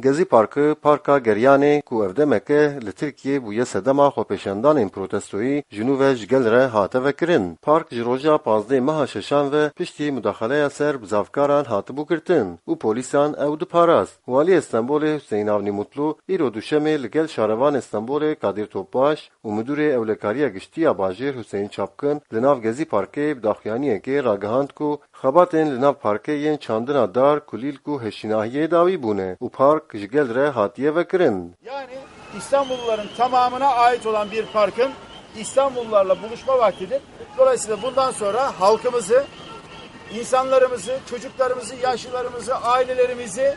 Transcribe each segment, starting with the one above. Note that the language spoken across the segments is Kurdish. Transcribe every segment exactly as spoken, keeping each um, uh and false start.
Gezî Parkı, Parka Geryanê ku ev demeke li Tirkiyê bûye sedema xwepêşandanên protestoyî, ji nû ve ji gel re hate vekirin. Park ji roja pazdeh meha şeşan ve piştî mudaxaleya ser bizavkaran hatibû girtin û polîsan ew diparast. Waliyê Stenbolê Hüseyin Avni Mutlu îro duşemê li gel şarevanê Stenbolê Kadir Topbaş û Midûrê Ewlekariya Giştî ya Bajêr Hüseyin Çapkin li nav Gezî Parkê bi daxuyaniyekê ragihand ku xebatên li nav parkê yên çandina dar, kulîlk û hêşînahiyê dawî bûne û park ji gel re hatiye vekirin. Yani İstanbulluların tamamına ait olan bir parkın İstanbullularla buluşma vaktidir. Dolayısıyla bundan sonra halkımızı, insanlarımızı, çocuklarımızı, yaşlılarımızı, ailelerimizi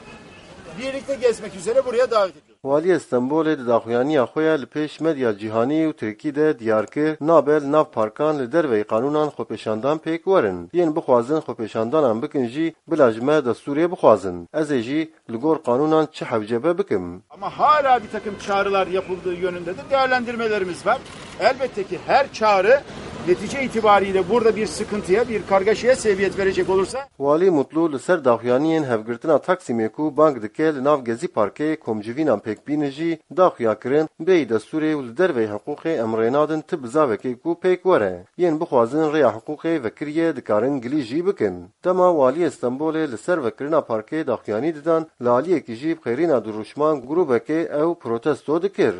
birlikte gezmek üzere buraya davet ediyoruz. Waliyê Stenbolê di daxuyaniya xwe ya li pêş medya cîhanî û tirkî de diyar kir, nabe li nav parkan li derveyî qanûnan xwepêşandan pêk werin. Yên bixwazin xwepêşandanan bikin jî bila ji me destûrê bixwazin. Ez ê jî li gor qanûnan çi hewce be bikim. Ama hala bir takım çağrılar yapıldığı yönünde de değerlendirmelerimiz var. Elbette ki her çağrı netice itibariyle burada bir sıkıntıya, bir kargaşaya sebebiyet verecek olursa. Walî Mutlu li ser daxuyaniyên hevgirtina Taksîmê ku bang dike li nav Gezî Parkê komcivînan pêk bînin jî daxuya kirin bêyî destûrê û li derveyî hiqûqê em rê nadin ti bizavekê ku pêk were. Yên bixwazin rêya hiqûqê vekiriye dikarin gilî jî bikin. Dema Waliyê Stenbolê li ser vekirina parkê daxuyanî didan, li aliyekî jî bi xêrîna dirûşman grûbekê ew protesto dikir.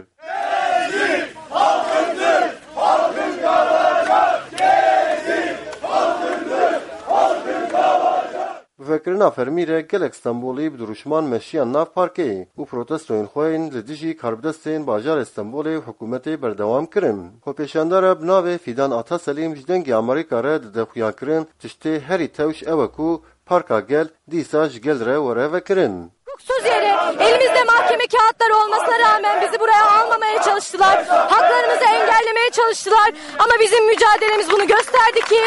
Bi vekirina fermî re gelek Stenbolî bi dirûşman meşiyan nav parkê û protestoyên xwe yên li dijî karbidestên bajarê Stenbolê û hikûmetê berdewam kirin. Xwepêşandara bi navê Fîdan Ataselîm ji Dengê Amerîka re dide xuyakirin, tiştê herî tewş ew e ku Parka Gel dîsa ji gel re were vekirin. Hukuksuz yere elimizde mahkeme kağıtları olmasına rağmen bizi buraya almamaya çalıştılar. Haklarımızı engellemeye çalıştılar. Ama bizim mücadelemiz bunu gösterdi ki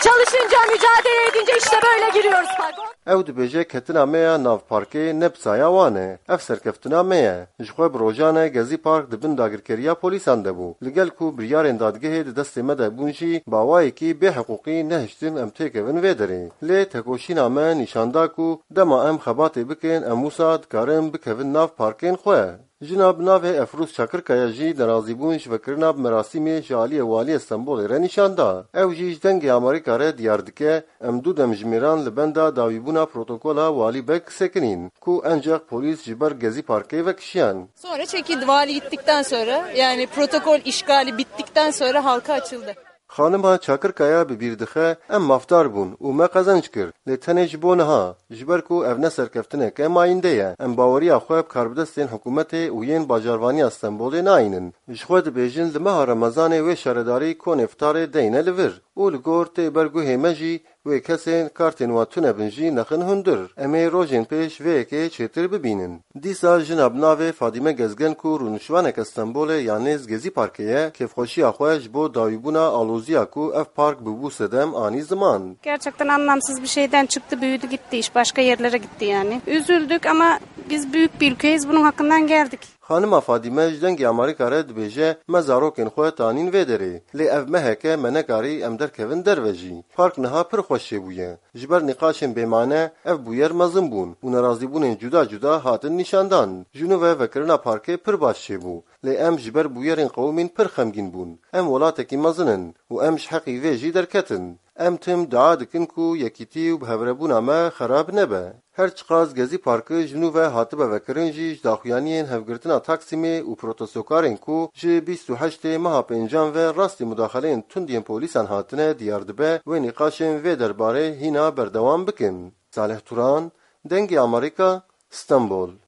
çalışınca, mücadele edince işte böyle giriyoruz parka. Ew dibêje ketina me ya nav parkê ne bi saya wan e. Ev serkeftina me ye. Ji xwe bi rojan e Gezî Park di bin dagirkeriya polîsan de bû. Li gel ku biryarên dadgehê di destê me de bûn jî, bi awayekî bêhiqûqî nehiştin em têkevin vê derê. Lê tekoşîna me nîşan da ku dema em xebatê bikin, em wisa dikarin bikevin nav parkên xwe. Jina bi navê Efrûz Çakirkaya jî nerazîbûn ji vekirina bi merasîmê ji aliyê Waliyê Stenbolê re nîşan da. Ew jî ji Dengê Amerîka re diyar dike, Em du demjimêran li benda dawîbûna protokola Walî Beg sekinîn, ku enceq polîs ji ber Gezî Parkê vekişiyan. Sonra çekildi. Vali gittikten sonra, yani protokol işgali bittikten sonra halka açıldı. Xanima Çakirkaya bi bîr dixe, Em mafdar bûn û me qezenc kir, lê tenê ji bo niha, ji ber ku ev ne serkeftineke mayînde ye. Em baweriya xwe bi karbidestên hikûmetê û yên bajarvaniya Stenbolê nayînin. Ji xwe dibêjin, li meha Remezanê wê şaredarî konê fitarê deyne li vir. Û li gor tê ber guhê me jî wê kesên kartên wan tune bin jî nexin hundir. Em ê rojên pêş vê yekê çêtir bibînin. Dîsa jina bi navê Fadîme Gezgen ku rûniştvaneke Stenbolê ya nêz Gezî Parkê ye, kêfxweşiya xwe ji bo dawîbûna aloziya ku ev park bûbû sedem anî ziman. Gerçekten anlamsız bir şeyden çıktı, büyüdü gitti iş, başka yerlere gitti yani. Üzüldük ama biz büyük bir ülkeyiz, bunun hakkından geldik. Xanima Fadîme ji Dengê Amerîka re dibêje, Me zarokên xwe tanîn vê derê, lê ev mehek e me nekarî em derkevin derve jî. Park niha pir xweş çêbûye. Ji ber nîqaşên bêmane ev bûyer mezin bûn û nerazîbûnên cuda cuda hatin nîşandan. Ji nû ve vekirina parkê pir baş çêbû, lê em ji ber bûyerên qewimîn pir xemgîn bûn. Em welatekî mezin in û em ji heqî vê jî derketin. Em tim dua dikin ku yekîtî û bihevrebûna me xerab nebe. Her çiqas Gezî Parkı ji nû ve hatibe vekirin jî ji daxuyaniyên hevgirtina Taksimê û protestokarên ku ji bîst û heştê meha pêncan ve rastî mudaxeleyên tund yên polîsan hatine diyar dibe, wê nîqaşên vê derbarê hîna berdewam bikin. Salih Turan, Dengê Amerîka, Stenbol.